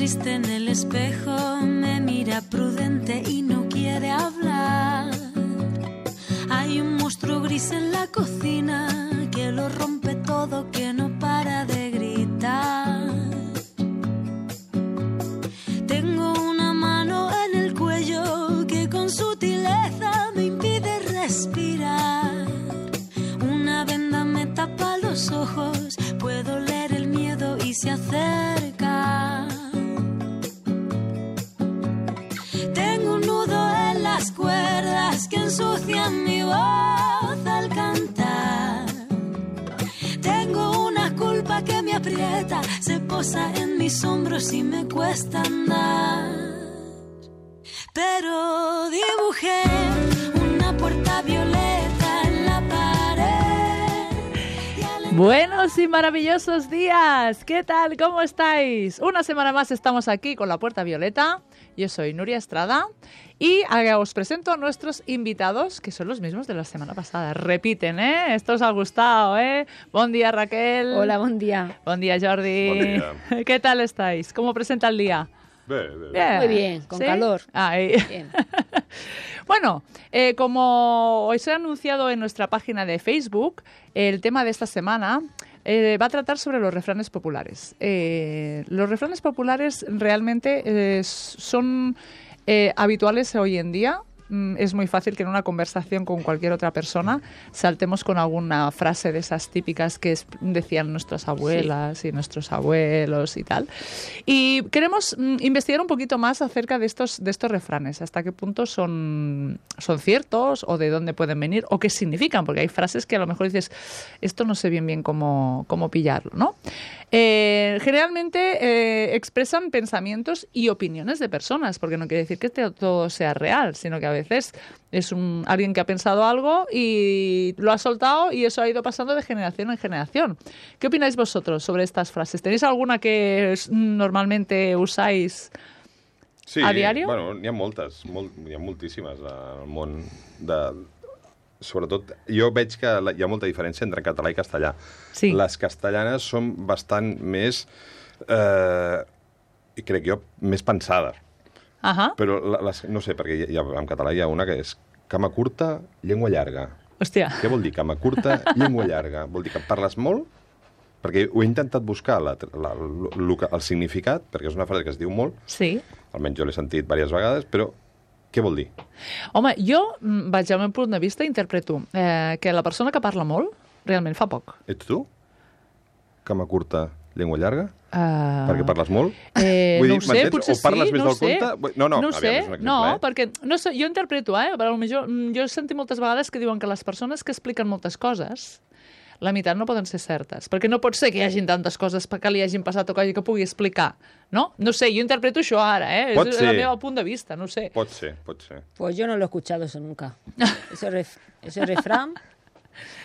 existe en el espejo, me mira prudente y no quiere hablar. Hay un monstruo gris en la cocina que lo rompe todo, que no para de gritar. Tengo una mano en el cuello que con sutileza me impide respirar. Una venda me tapa los ojos, puedo leer el miedo y se acerca. Tengo un nudo en las cuerdas que ensucian mi voz al cantar. Tengo una culpa que me aprieta, se posa en mis hombros y me cuesta andar. Pero dibujé una puerta violeta en la pared. Buenos y maravillosos días. ¿Qué tal? ¿Cómo estáis? Una semana más estamos aquí con la Puerta Violeta. Yo soy Nuria Estrada y os presento a nuestros invitados, que son los mismos de la semana pasada. Repiten, ¿eh? Esto os ha gustado, ¿eh? Buen día, Raquel. Hola, buen día. Buen día, Jordi. Buen día. ¿Qué tal estáis? ¿Cómo presenta el día? Bien. Muy bien, con calor. Bien. Bueno, como os he anunciado en nuestra página de Facebook, el tema de esta semana va a tratar sobre los refranes populares. Los refranes populares realmente son habituales hoy en día. Es muy fácil que en una conversación con cualquier otra persona saltemos con alguna frase de esas típicas que decían nuestras abuelas y nuestros abuelos y tal. Y queremos investigar un poquito más acerca de estos refranes, hasta qué punto son ciertos o de dónde pueden venir o qué significan, porque hay frases que a lo mejor dices, esto no sé bien cómo pillarlo, ¿no? Generalmente expresan pensamientos y opiniones de personas, porque no quiere decir que todo sea real, sino que a veces es alguien que ha pensado algo y lo ha soltado y eso ha ido pasando de generación en generación. ¿Qué opináis vosotros sobre estas frases? ¿Tenéis alguna que normalmente usáis a diario? Bueno, n'hi ha moltes, hi ha moltíssimes al món sobretot, jo veig que hi ha molta diferència entre català i castellà. Sí. Les castellanes són bastant més, crec jo, més pensades. Però, no sé, perquè en català hi ha una que és cama curta, llengua llarga. Hòstia. Què vol dir cama curta, llengua llarga? Vol dir que parles molt? Perquè ho he intentat buscar, el significat, perquè és una frase que es diu molt. Sí. Almenys jo l'he sentit diverses vegades, però què vol dir? Home, jo, vaig al meu punt de vista, interpreto que la persona que parla molt realment fa poc. Ets tu? Cama curta, llengua llarga? Perquè parles molt? No ho sé, potser o parles més no del sé. compte? No sé, perquè no sé, jo interpreto, però potser jo he sentit moltes vegades que diuen que les persones que expliquen moltes coses, la meitat no poden ser certes, perquè no pot ser que hi hagin tantes coses que li hagin passat o que pugui explicar, no? No sé, jo interpreto això ara, Pot és ser. el meu punt de vista, no sé. Pot ser. Pues yo no lo he escuchado eso nunca. Ese refrán.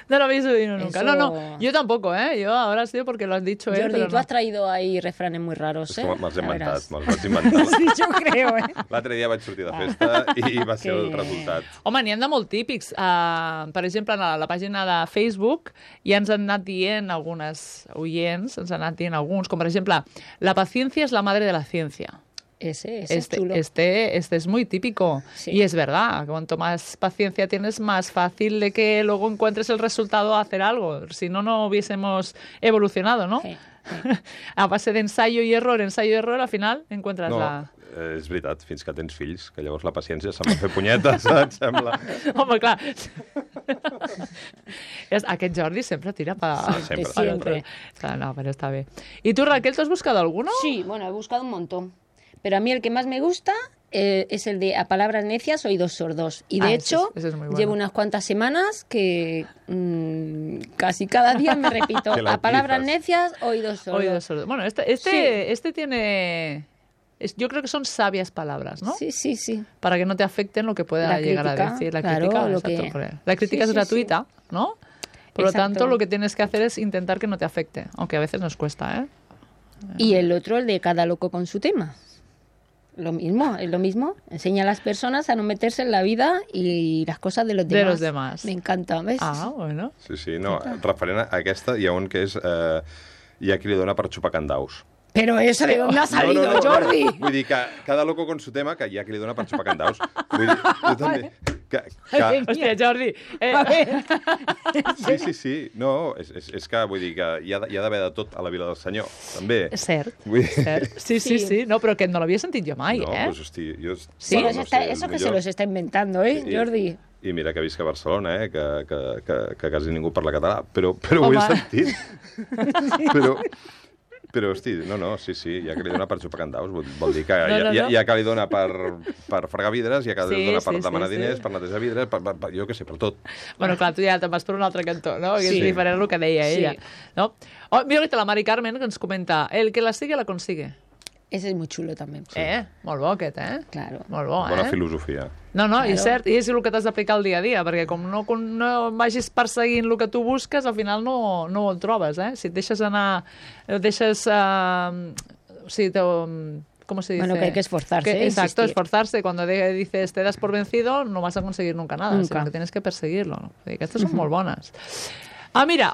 No lo habéis oído nunca. Eso... No, yo tampoco, Yo ahora sí porque lo has dicho, Jordi, pero tú has traído ahí refranes muy raros, És que me'ls he Ya verás. inventat. Sí, yo creo, L'altre dia vaig sortir de festa i va ser el resultat. Home, n'hi ha de molt típics. Per exemple, a la pàgina de Facebook ja ens han anat dient algunes oients, ens han anat dient alguns, com per exemple, la paciencia es la madre de la ciencia. Ese es chulo. Este es muy típico. Sí. Y es verdad, cuanto más paciencia tienes, más fácil de que luego encuentres el resultado a hacer algo. Si no, no hubiésemos evolucionado, ¿no? Sí. A base d'ensayo i error, al final encuentras la... És veritat, fins que tens fills, que llavors la paciència se'm va fer punyetes, et sembla? Home, clar. Aquest Jordi sempre tira Siempre. No, pero está bien. ¿Y tú, Raquel, te has buscado alguno? Sí, bueno, he buscado un montón. Pero a mí el que más me gusta es el de a palabras necias, oídos sordos. Y de hecho, ese es muy bueno. llevo unas cuantas semanas que casi cada día me repito, Que la a palabras utilizas. necias, oídos sordos. Oídos sordos. Bueno, Sí. este tiene... yo creo que son sabias palabras, ¿no? Sí. Para que no te afecten lo que pueda La llegar crítica, a decir. La claro, crítica, lo exacto, que- la crítica Sí, es gratuita, ¿no? Por lo Exacto. tanto, lo que tienes que hacer es intentar que no te afecte, aunque a veces nos cuesta, ¿eh? Y el otro, el de cada loco con su tema. Es lo mismo. Enseña a las personas a no meterse en la vida y las cosas de los demás. De los demás. Me encanta, ¿ves? Ah, bueno. Sí, no, referent a aquesta, hi ha un que és... hi ha qui li dona per xupar candaus. Pero eso de dónde ha salido, Jordi. Vull dir que cada loco con su tema, que hi ha qui li dona per xupar candaus. Vull dir, jo també... Hòstia, Jordi... Sí. No, és que vull dir que hi ha d'haver de tot a la Vila del Senyor, també. És cert, Vull dir... cert. Sí. No, però aquest no l'havia sentit jo mai, No, eh? pues, hosti, jo... Sí, bueno, eso, no sé, eso que millor- se los está inventando, Jordi? I mira que visc a Barcelona, que quasi ningú parla català, però ho he sentit. Però, hosti, no, sí, hi ha que li dona per xupar candaus, vol dir que hi ha que li dona per fregar vidres, hi ha que li dona per demanar diners, per netejar vidres, jo què sé, per tot. Bueno, clar, tu ja te'n vas per un altre cantó, no? Que Sí. és diferent el que deia Sí. ella. No? Oh, mira ahorita la Mari Carmen que ens comenta el que la sigue la consigue. Ese es muy chulo también. Molt bo aquest, Claro. Molt bo, Bona filosofia. No, Claro. i cert, i és el que t'has d'aplicar el dia a dia, perquè com no vagis perseguint el que tu busques, al final no ho trobes, eh? Si et deixes anar, o sigui, ¿cómo se dice? Bueno, que hay que esforzarse, Exacto, insistir. esforzarse. Cuando dices te das por vencido, no vas a conseguir nunca nada, Nunca. sino que tienes que perseguirlo. No? Aquestes són molt bones. Ah, mira,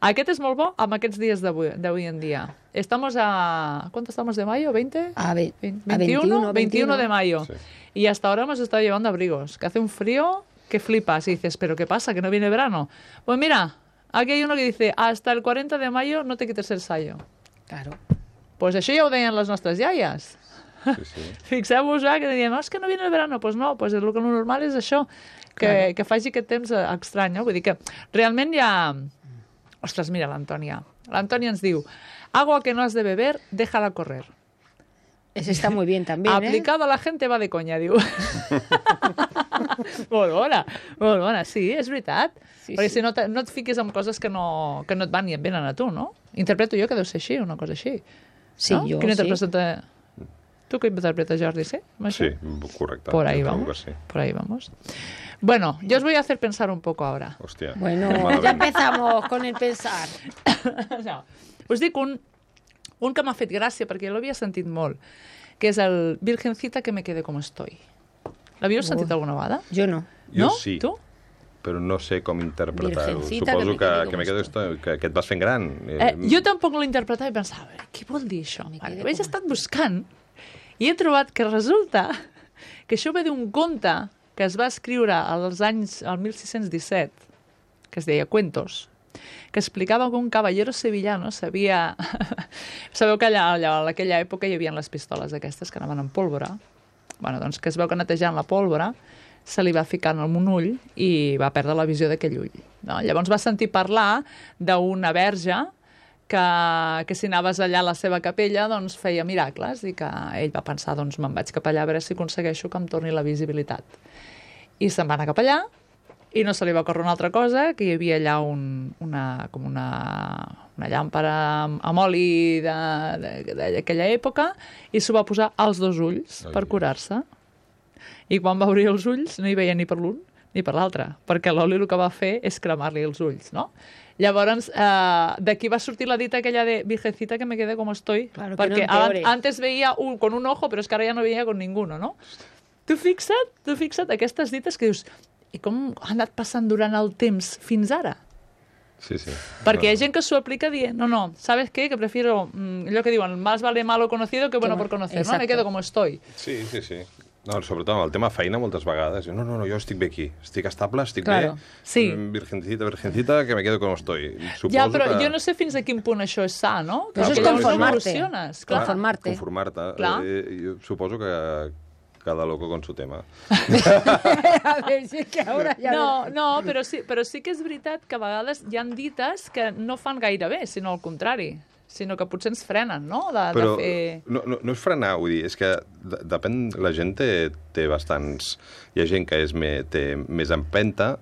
aquest és molt bo amb aquests dies d'avui en día. Estamos a... ¿Cuánto estamos de mayo? ¿20? A 21 de mayo. Sí. Y hasta ahora hemos estado llevando abrigos, que hace un frío que flipas. Y dices, ¿pero qué pasa? ¿Que no viene verano? Pues mira, aquí hay uno que dice, hasta el 40 de mayo no te quites el sayo. Claro. Pues això ja ho deien les nostres iaies. Sí. Fixeu-vos, que deien, no, és que no viene el verano. Pues no, pues el que normal és això, que faci aquest temps estrany. No? Vull dir que realment hi ha... Ostres, mira l'Antònia. L'Antònia ens diu, agua que no has de beber, déjala correr. Ese está muy bien también, Aplicado a la gente va de conya, diu. Molt bona, sí, és veritat. Sí, Perquè sí. si no et fiques en coses que no et van ni et venen a tu, no? Interpreto jo que deu ser així, una cosa així. Sí, no? jo Quina sí. interpreta... Tu què interpretes, Jordi, sí? Amb això? Sí, correcte. Por ahí Jo trobo vamos. que sí. Por ahí vamos. Bueno, yo os voy a hacer pensar un poco ahora. Hòstia. Bueno, malament. ya empezamos con el pensar. No. Us dic un que m'ha fet gràcia, perquè l'havia sentit molt, que és el Virgencita que me quede como estoy. L'havíeu sentit alguna vegada? Yo no. Jo No? sí. Tu? Però no sé com interpretar-ho. Virgencita, Suposo que que me me quedo esto, que et vas fent gran. Jo tampoc l'he interpretat i pensava, què vol dir això? Vale, ho he estat buscant i he trobat que resulta que això ve d'un conte que es va escriure al 1617, que es deia Cuentos, que explicava que un caballero sevillano sabia... Sabeu que allà en aquella època hi havia les pistoles aquestes que anaven amb pólvora. Bueno, doncs que es veu que netejant la pólvora se li va ficar en un ull i va perdre la visió d'aquell ull. No? Llavors va sentir parlar d'una verge que si anaves allà a la seva capella doncs feia miracles i que ell va pensar, doncs me'n vaig cap allà a veure si aconsegueixo que em torni la visibilitat. I se'n va anar cap allà i no se li va ocórrer una altra cosa, que hi havia allà una llàmpara amb oli d'aquella època i s'ho va posar als dos ulls per curar-se. I quan va obrir els ulls no hi veia ni per l'un ni per l'altre, perquè l'oli el que va fer és cremar-li els ulls, no? Llavors, d'aquí va sortir la dita aquella de Virgencita que me quede como estoy, Claro, que perquè no empeore. antes veia con un ojo, però és que ara ja no veia con ninguno, no? Tu fixa't aquestes dites que dius, i com ha anat passant durant el temps fins ara? Sí. Perquè hi ha gent que s'ho aplica dient, no, ¿sabes qué? Que prefiero, allò que diuen, más vale malo conocido que bueno por conocer, ¿no? Exacto. Me quedo como estoy. Sí. No, sobretot amb el tema feina moltes vegades. No, jo estic bé aquí. Estic estable, estic Claro. bé. Sí. Virgencita, que me quedo com estoy. Suposo Ja, però que... jo no sé fins a quin punt això és sa, no? Això és Perquè llavors conformar-te. evoluciones, Clar, clar. Conformar-te. Clar. Jo suposo que cada loco con su tema. A ver, si es que ahora ya... No, però sí que és veritat que a vegades hi han dites que no fan gaire bé, sinó al contrari, sinó que potser ens frenen, no? Però de fer... no és frenar, vull dir, és que depèn... La gent té bastants... Hi ha gent que té més empenta,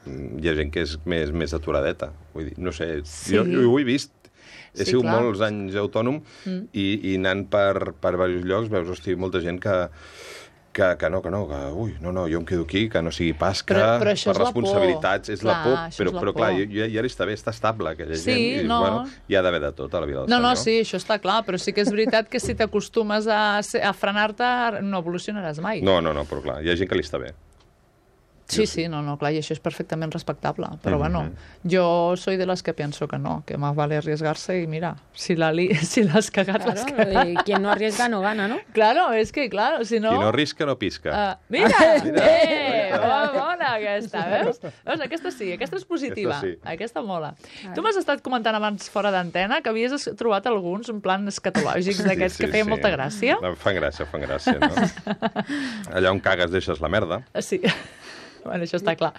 hi ha gent que és més aturadeta. Vull dir, no sé, Sí. jo ho he vist. He Sí, sigut clar. molts anys autònom i anant per diversos llocs veus, hosti, molta gent que ui, no, jo em quedo aquí, que no sigui pas que Però això per és la por. responsabilitats és la Clar, por, això és la però clar, por. ja està bé, està estable aquella Sí, gent, i no. bueno, hi ha d'haver de tot a la vida del No, senyor. sí, això està clar, però sí que és veritat que si t'acostumes a frenar-te no evolucionaràs mai. No, però clar, hi ha gent que li està bé. Sí, no, clar, i això és perfectament respectable. Però, bueno, yo soy de las que pienso que no, que más vale arriesgarse y mira, si l'has cagat, l'has cagat. Quien no arriesga no gana, ¿no? Claro, és que, claro, si no... Qui no risca, no pisca. Mira! Bona aquesta, veus? Aquesta sí, aquesta és positiva. Aquesta mola. Tu m'has estat comentant abans fora d'antena que havies trobat alguns en plan escatològics d'aquests que feien molta gràcia. Fan gràcia, no? Allà on cagues deixes la merda. Sí. Bueno, això està clar.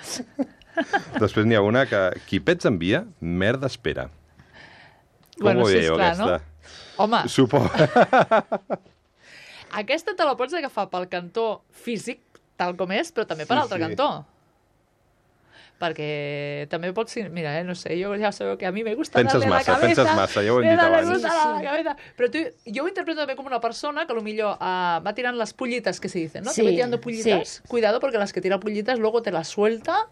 Després n'hi ha una que qui pets envia, merda espera. Com ho veieu, aquesta? No? Home, Suposo. aquesta te la pots agafar pel cantó físic, tal com és, però també per l'altre cantó. Perquè també pot ser... Mira, no sé, jo ja sabeu que a mi me gusta Penses massa, ja ho hem dit abans. Però jo ho interpreto també com una persona que millor va tirant las pullitas que se dicen, ¿no? Que va tirando pullitas. Cuidado, porque las que tira pullitas luego te las suelta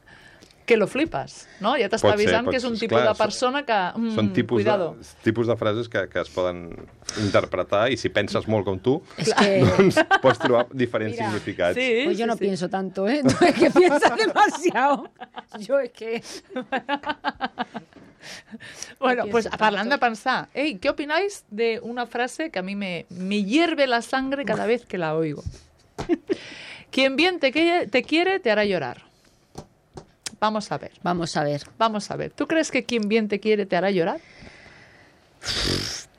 que lo flipas, no? Ja t'està avisant que és un tipus de persona que... Són tipus de frases que es poden interpretar i si penses molt com tu, doncs pots trobar diferents significats. Pues yo no pienso tanto, ¿eh? Tú es que piensas demasiado. Yo es que... Bueno, pues hablando de pensar, ¿qué opináis de una frase que a mí me hierve la sangre cada vez que la oigo? Quien bien te quiere, te hará llorar. Vamos a ver. ¿Tú crees que quien bien te quiere te hará llorar?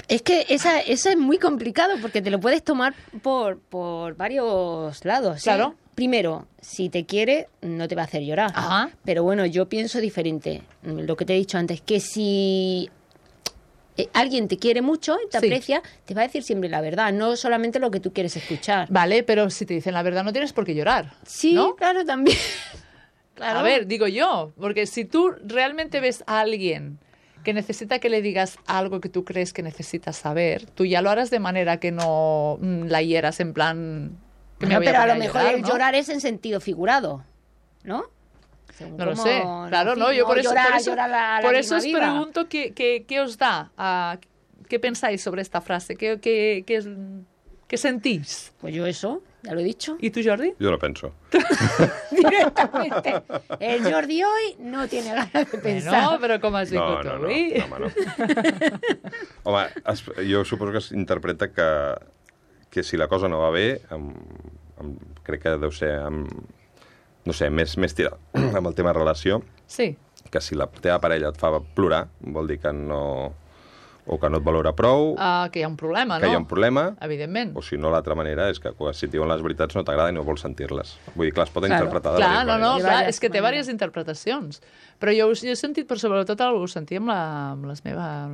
Es que esa es muy complicado porque te lo puedes tomar por varios lados. Claro. Primero, si te quiere, no te va a hacer llorar. Ajá. Pero bueno, yo pienso diferente. Lo que te he dicho antes, que si alguien te quiere mucho y te aprecia, te va a decir siempre la verdad, no solamente lo que tú quieres escuchar. Vale, pero si te dicen la verdad no tienes por qué llorar. Sí, ¿no? Claro, también. Claro. A ver, digo yo, porque si tú realmente ves a alguien que necesita que le digas algo que tú crees que necesitas saber, tú ya lo harás de manera que no la hieras en plan... Que me voy pero a a lo mejor llorar, el llorar es en sentido figurado, ¿no? Según no lo sé, claro, no, yo por eso os pregunto qué os da, qué pensáis sobre esta frase, qué sentís. Pues yo eso, ya lo he dicho. ¿Y tú, Jordi? Yo lo penso. Directamente. El Jordi hoy no tiene ganas de pensar. No, però com has vingut avui? No. Home, jo suposo que s'interpreta que si la cosa no va bé, crec que deu ser, no sé, més tirat amb el tema relació. Sí. Que si la teva parella et fa plorar, vol dir que no... o que no et valora prou... que hi ha un problema, no? Que hi ha un problema. Evidentment. O si no, l'altra manera és que si et diuen les veritats no t'agrada i no vols sentir-les. Vull dir, clar, es poden interpretar de diverses maneres. Clar, és que té diverses interpretacions. Però jo he sentit, però sobretot ho sentia amb la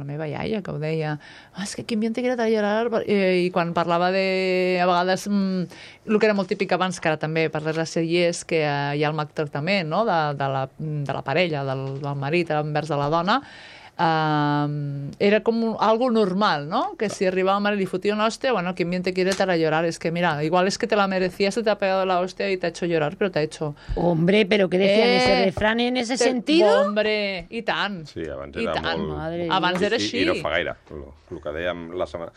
meva iaia, que ho deia, és que quin bien te quiere llorar... I quan parlava de, a vegades, el que era molt típic abans, que ara també per les sèries, que hi ha el maltractament, no?, de la parella, del marit envers de la dona, era como algo normal, ¿no? Que si arribaba mal y fotia una hostia, bueno, quien bien te quiere te hará llorar. Es que mira, igual es que te la merecías, se te ha pegado la hostia y te ha hecho llorar, pero te ha hecho... Hombre, pero ¿qué decían ese refrán en ese sentido? Hombre, i tant. Sí, abans era molt... Abans era així. I no fa gaire. El que dèiem la setmana...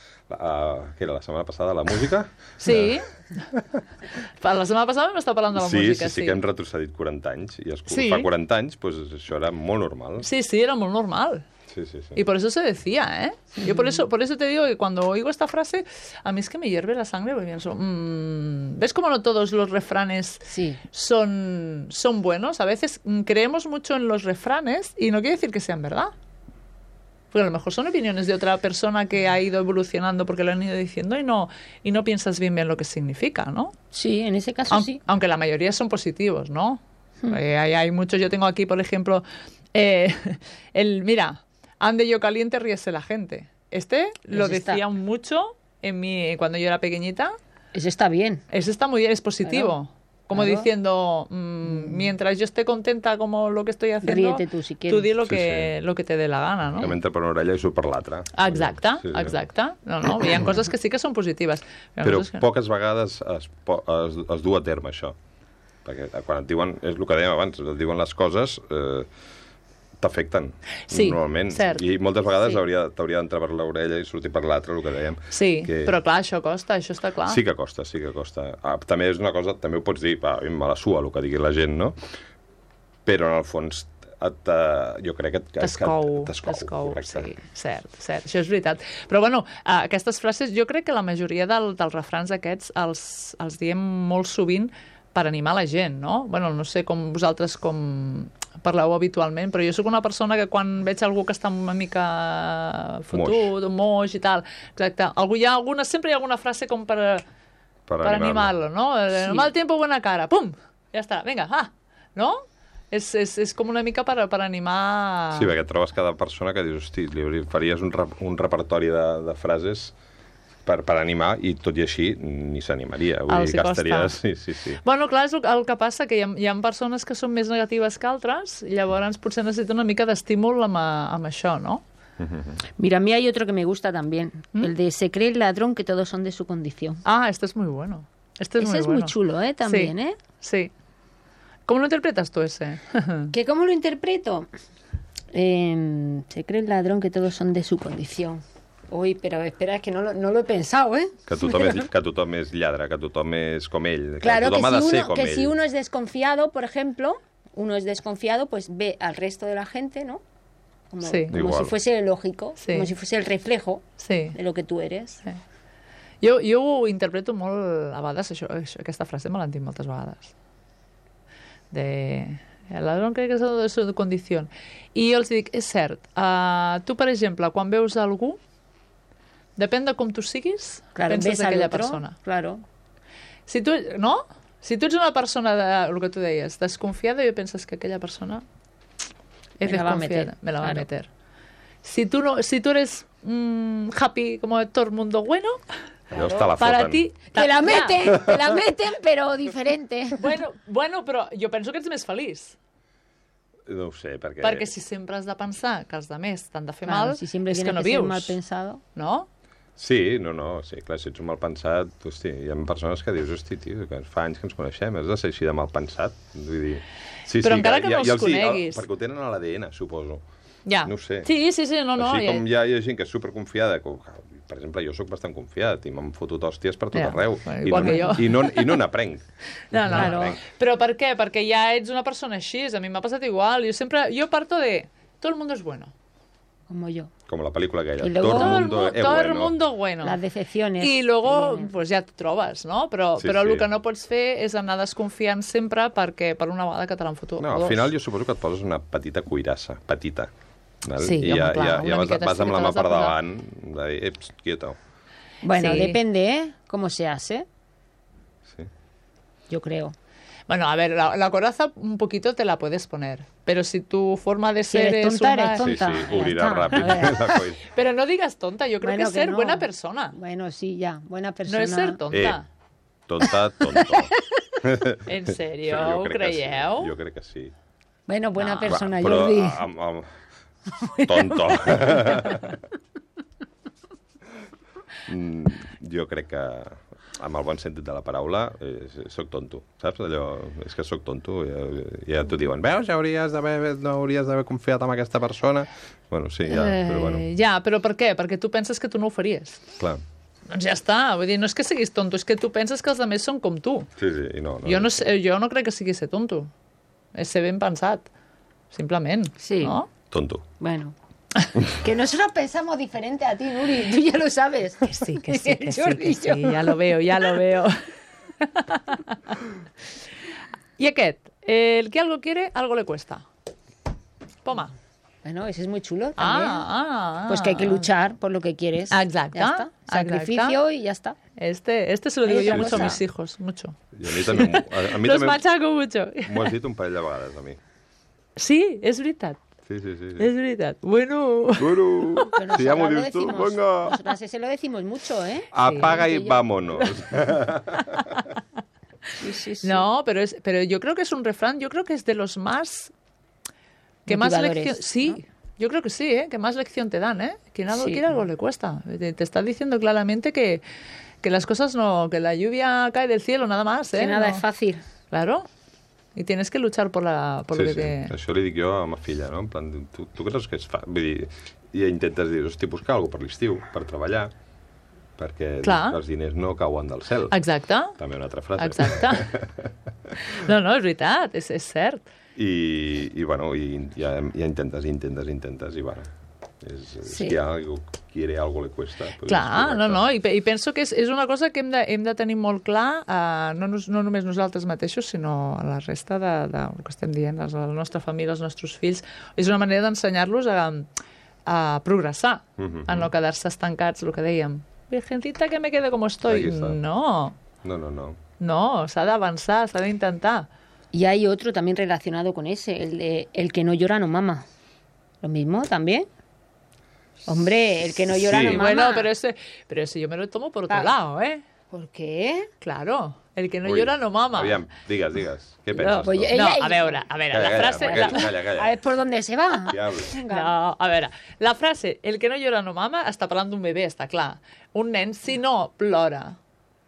que era la setmana passada, la música? Sí. La setmana passada hem estat parlant de la música, sí, que hem retrocedit 40 anys. I fa 40 anys, pues, això era molt normal. Sí, era molt normal. Sí. Y por eso se decía, ¿eh? Yo por eso te digo que cuando oigo esta frase, a mí es que me hierve la sangre porque pienso, ¿ves cómo no todos los refranes son buenos? A veces creemos mucho en los refranes y no quiere decir que sean verdad. Porque a lo mejor son opiniones de otra persona que ha ido evolucionando porque lo han ido diciendo y no piensas bien lo que significa, ¿no? Sí, en ese caso sí. Aunque la mayoría son positivos, ¿no? Hay muchos, yo tengo aquí, por ejemplo, mira... Ande yo caliente, ríese la gente. Lo decían mucho cuando yo era pequeñita. Ese está bien. Ese está muy bien, es positivo. Como diciendo, mientras yo esté contenta como lo que estoy haciendo, ríete tú si quieres. Tú di lo que te dé la gana, ¿no? Que m'entra per una orella i surt per l'altra. Exacte. No, hi ha coses que sí que són positives. Però poques vegades es du a terme això. Perquè quan et diuen, és el que dèiem abans, et diuen les coses... t'afecten, Sí, normalment. cert. I moltes vegades Sí. t'hauria d'entrar per l'orella i sortir per l'altra, el que dèiem. Sí, que... però clar, això costa, això està clar. Sí que costa, sí que costa. També és una cosa, també ho pots dir, a mi me la sua el que digui la gent, no? Però en el fons jo crec que T'escou, correcte. sí, cert, això és veritat. Però bueno, aquestes frases, jo crec que la majoria dels refrans aquests els diem molt sovint per animar la gent, no? Bueno, no sé com vosaltres com parleu habitualment, però jo sóc una persona que quan veig algú que està una mica fotut, moix i tal, exacte, sempre hi ha alguna frase com per animar-lo, no? Sí. Mal tiempo, buena cara, pum, ja està, vinga, no? És com una mica per animar... Sí, perquè trobes cada persona que dius, hosti, li faries un repertori de frases per animar, i tot i així ni s'animaria. Vull dir, gastaries... Sí. Bueno, clar, és el que passa, que hi ha persones que són més negatives que altres, i llavors potser necessita una mica d'estímul amb això, ¿no? Mira, a mí hay otro que me gusta también, el de se cree el ladrón que todos son de su condición. Este es muy bueno. Ese es muy chulo, también, sí, Sí. ¿Cómo lo interpretas tú ese? ¿Que cómo lo interpreto? Se cree el ladrón que todos son de su condición. Uy, pero espera, es que no lo he pensado, ¿eh? Que tothom és lladre, que tothom és com ell. Claro, que tothom ha de ser com ell. si uno es desconfiado, por ejemplo, pues ve al resto de la gente, ¿no? Como si fuese lógico, como si fuese el reflejo de lo que tú eres. Sí. Jo ho interpreto molt, a vegades, aquesta frase me l'han dit moltes vegades. El ladrón cree que és de su condició. I jo els dic, és cert, tu, per exemple, quan veus algú, depèn de com tu siguis, penses d'aquella persona. Claro. Si tu ets una persona, el que tu deies, desconfiada, jo penses que aquella persona es desconfiada, me la va a meter. Si tú eres happy como todo el mundo bueno, para ti... Te la meten, però diferente. Bueno, però jo penso que ets més feliç. No ho sé, perquè... Perquè si sempre has de pensar que els altres t'han de fer mal, si sempre és que no vius. Mal pensado. No? Sí, sí, clar, si ets un mal pensat, hosti, hi ha persones que dius, hosti, tio, que fa anys que ens coneixem, has de ser així de mal pensat. Vull dir... Però encara que no els coneguis. Perquè ho tenen a l'ADN, suposo. Ja. No ho sé. Sí, no. Així com hi ha gent que és superconfiada, per exemple, jo sóc bastant confiat i m'han fotut hòsties per tot arreu. Igual que jo. I no n'aprenc. No. Però per què? Perquè ja ets una persona així. A mi m'ha passat igual. Jo parto de... Todo el mundo es bueno. Como yo. Como la película aquella. Todo el mundo bueno. Las decepciones. I luego, pues ja t'ho trobes, no? Però el que no pots fer és anar desconfiant sempre per una vegada que te l'han fotut. No, al final jo suposo que et poses una petita cuirassa, petita. Sí, I ja vas amb la mà per davant, de dir, quieto. Bueno, depende, cómo se hace. Sí. Yo creo. Bueno, a ver, la coraza un poquito te la puedes poner, pero si tu forma de ser eres tonta, eres tonta. Sí, obrirà ràpid. Pero no digas tonta, yo creo que es ser buena persona. Bueno, sí, ya, buena persona. No es ser tonta. Tonto. En serio, ho creieu? Sí, jo crec que sí. Bueno, buena persona, però, Jordi. Tonto. Jo crec que, amb el bon sentit de la paraula, soc tonto, saps? Allò, és que soc tonto. Ja t'ho diuen, veus, no hauries d'haver confiat en aquesta persona. Bueno, sí, però bueno. Ja, però per què? Perquè tu penses que tu no ho faries. Clar. Doncs ja està, vull dir, no és que siguis tonto, és que tu penses que els altres són com tu. Sí, i no. Jo no crec que sigui ser tonto. És ser ben pensat, simplement. Sí. ¿No? Tonto. Bueno. Que nosotros pensamos diferente a ti, Nuri. Tú ya lo sabes. Que sí, ya lo veo. I aquest, el que algo quiere, algo le cuesta. Poma. Bueno, ese es muy chulo también. Pues que hay que luchar por lo que quieres. Exacto. Ya está. Sacrificio y ya está. Este se lo digo yo mucho a mis hijos, mucho. I a mi també... Los machaco mucho. M'ho has dit un parell de vegades, a mi. Sí, és veritat. Sí. Es verdad. Bueno. Si ya me dices tú, venga. Nosotras ese lo decimos mucho, ¿eh? Apaga y vámonos. Sí. No, pero yo creo que es un refrán, yo creo que es de los más... que más lección... Sí, ¿no? Yo creo que sí, ¿eh? Que más lección te dan, ¿eh? Quien algo quiere, algo le cuesta. Te está diciendo claramente que las cosas no... que la lluvia cae del cielo, nada más, ¿eh? Que nada es fácil. Claro. Y tienes que luchar por lo que te... Això li dic jo a ma filla, no? En plan, tu creus que es fa? Vull dir, i intentes dir, hosti, buscar alguna per l'estiu, per treballar, perquè els diners no cauen del cel. Exacte. També una altra frase. Exacte. No, és veritat, és cert. I bueno, ja intentes, i bueno, és que a algú quiere algo le cuesta. Clar, i penso que és una cosa que hem de tenir molt clar, no només nosaltres mateixos, sinó a la resta del que estem dient, la nostra família, els nostres fills. És una manera d'ensenyar-los a progressar, a no quedar-se estancats, el que dèiem. Virgencita, que me quede como estoy. No. No, s'ha d'avançar, s'ha d'intentar. Y hay otro también relacionado con ese, el que no llora no mama. Lo mismo también. Hombre, el que no llora no mama. Bueno, pero ese yo me lo tomo por otro lado, ¿eh? ¿Por qué? Claro, el que no llora no mama. Aviam, digues. Què penses? A veure, la frase... Calla. A ver por dónde se va. No, a veure, la frase, el que no llora no mama, està parlant d'un bebè, està clar. Un nen, si no plora,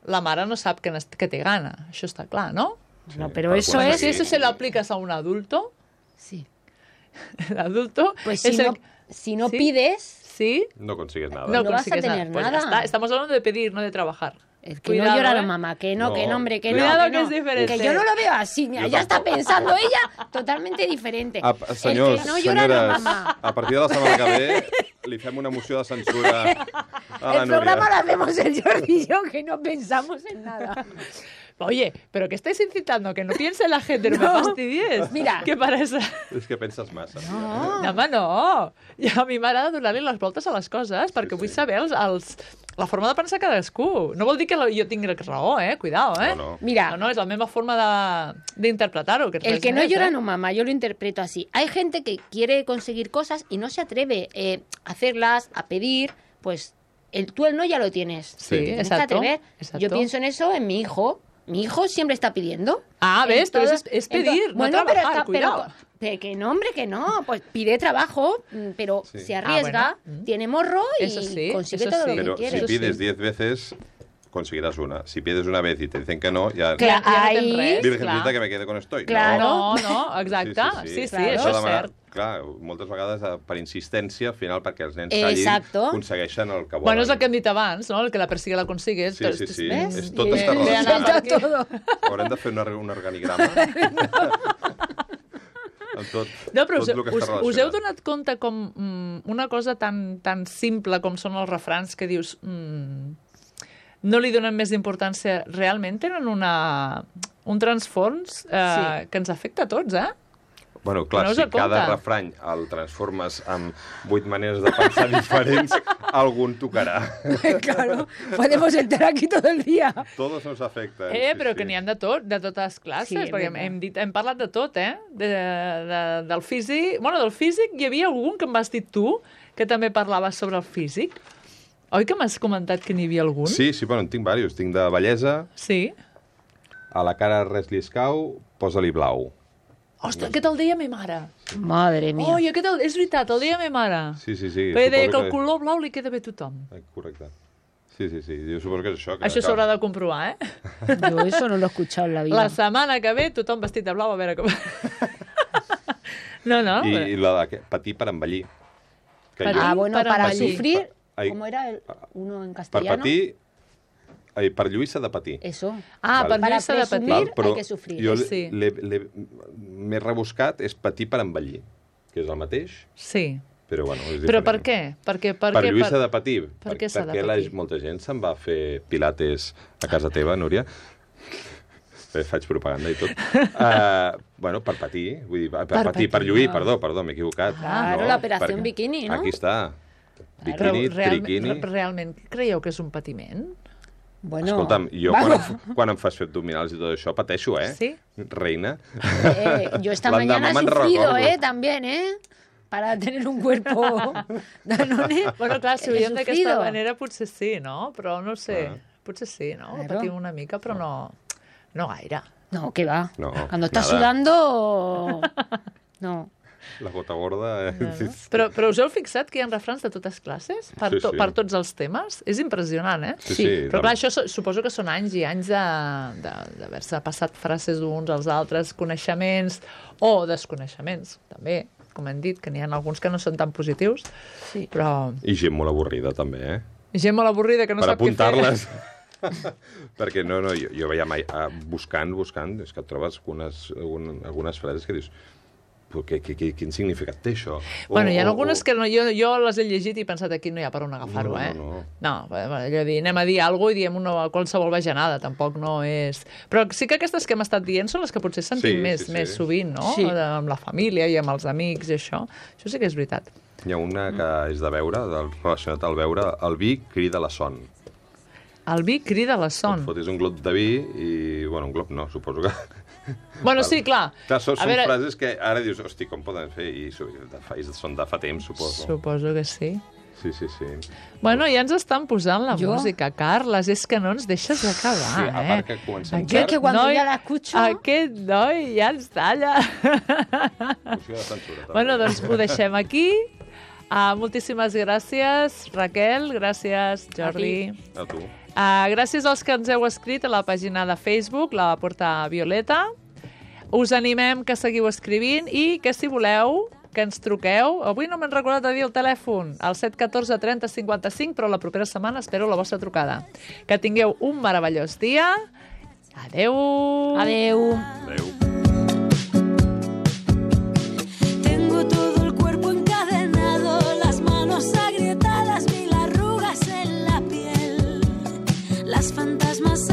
la mare no sap que té gana. Això està clar, no? Sí, no, pero eso es... Si eso se lo aplicas a un adulto... Sí. El adulto... Pues si no pides... ¿Sí? No consigues nada. No vas a tener nada. Pues estamos hablando de pedir, no de trabajar. El que no llora la mamá, que no, hombre, que Cuidado, no. que es diferente. Que yo no lo veo así, mira, ya está pensando ella totalmente diferente. Senyors, el que no llora la senyores, mamá. a partir de la setmana que ve li fem una moció de censura a la El programa lo hacemos el Jordi y yo, que no pensamos en nada. Oye, ¿pero qué estáis incitando? Que no piense la gente, no me fastidies. Mira. Que para eso... És que penses massa. No, home, no. I a mi m'agrada donar-li les voltes a les coses, perquè vull saber la forma de pensar cadascú. No vol dir que jo tingui raó, Cuidado, No. Mira. No, és la meva forma d'interpretar-ho. El que no llora no mama, yo lo interpreto así. Hay gente que quiere conseguir cosas y no se atreve a hacerlas, a pedir, pues tú el no ya lo tienes. Sí, exacto. Yo pienso en eso en mi hijo. Mi hijo siempre está pidiendo. Ah, ¿ves? Pero es pedir, no trabajar, cuidado. Pero que no, hombre, que no. Pues pide trabajo, pero se arriesga, tiene morro y consigue todo lo que quiere. Pero si pides 10 veces, conseguirás una. Si pides una vez y te dicen que no, ya... Claro, ahí... Virgencita, que me quede con estoy. Claro, no, exacte. Sí, això és cert. Clar, moltes vegades per insistència, al final, perquè els nens callin, aconsegueixen el que volen. Bueno, és el que hem dit abans, no? El que la persiga la consigue. Sí. Tot està relacionat. Haurem de fer un organigrama. No, però us heu donat compte com una cosa tan simple com són els refrans que dius no li donen més importància, realment tenen un transfons que ens afecta a tots, Bueno, clar, si cada refrany el transformes en 8 maneres de pensar diferents, algun tocarà. Claro, podemos estar aquí todo el día. Todos nos afecten. Però que n'hi ha de totes classes, perquè hem parlat de tot, del físic. Bueno, del físic hi havia algun que em vas dir tu, que també parlaves sobre el físic. Oi que m'has comentat que n'hi havia algun? Sí, bueno, en tinc diversos. Tinc de bellesa. Sí. A la cara res li escau, posa-li blau. Ostres, aquest el deia ma mare. Madre mía. Oi, és veritat, el deia ma mare. Sí. Perquè deia que el color blau li queda bé a tothom. Correcte. Sí. Jo suposo que és això. Això s'haurà de comprovar, Yo eso no lo he escuchado en la vida. La setmana que ve, tothom vestit de blau, a veure com... No. I la de patir per envellir. Bueno, para sufrir... ¿Cómo era uno en castellano? Per patir... per lluir s'ha de patir. Eso. Per lluir s'ha de patir. Hay que sufrir. Jo m'he rebuscat és patir per envellir, que és el mateix. Sí. Però, bueno, és diferent. Però per què? Per lluir s'ha de patir. Per què s'ha de patir? Perquè molta gent se'n va fer pilates a casa teva, Núria. Faig propaganda i tot. Bueno, per patir. Vull dir, per lluir, perdó, m'he equivocat. Claro, l'operació bikini, no? Aquí està. Bikini, triquini... Realment creieu que és un patiment? Bueno, escolta'm, jo quan em fas fer abdominals i tot això pateixo, Sí? Reina. Yo esta mañana he sufrido, también, para tener un cuerpo Danone. Bueno, clar, si ho veiem d'aquesta manera potser sí, no? Però no sé, potser sí, no? Claro. Patim una mica, però no gaire. No, ¿qué va? No, cuando estás sudando... No. La gota gorda... Però us heu fixat que hi ha refrans de totes classes? Sí, sí. Per tots els temes? És impressionant, eh? Sí, sí. Però clar, això suposo que són anys i anys d'haver-se passat frases uns als altres, coneixements o desconeixements, també, com hem dit, que n'hi ha alguns que no són tan positius, Sí. però... I gent molt avorrida, també, eh? Gent molt avorrida que no Per sap què fer. apuntar-les. Perquè jo veia mai... Buscant, és que et trobes algunes frases que dius... Quin significat té això? Bueno, hi ha algunes que jo les he llegit i he pensat aquí no hi ha per on agafar-ho, No. No, allò de dir, anem a dir alguna cosa i diem qualsevol bajanada, tampoc no és... Però sí que aquestes que hem estat dient són les que potser sentim més sovint, no? Sí. Amb la família i amb els amics i això. Això sí que és veritat. Hi ha una que és de beure, relacionat al beure, el vi crida la son. El vi crida la son. Et fotis un glop de vi i... Bueno, un glop no, suposo que... Bueno, sí, clar. Clar, són frases que ara dius, hosti, com poden fer? I són de fa temps, suposo. Suposo que sí. Sí. Bueno, ja ens estan posant la música, Carles, és que no ens deixes acabar, Sí, a part que comencem Yo que cuando ya la escucho... Aquest noi ja ens talla. Música de censura, també. Bueno, doncs ho deixem aquí. Moltíssimes gràcies, Raquel. Gràcies, Jordi. A tu. Gràcies als que ens heu escrit a la pàgina de Facebook, la Porta Violeta. Us animem que seguiu escrivint i que, si voleu, que ens truqueu. Avui no m'han recordat de dir el telèfon, al 714 30 55, però la propera setmana espero la vostra trucada. Que tingueu un meravellós dia. Adeu! Adeu. Adeu. Tengo todo el cuerpo encadenado, las manos agrietadas, mil arrugas en la piel. Las fantasmas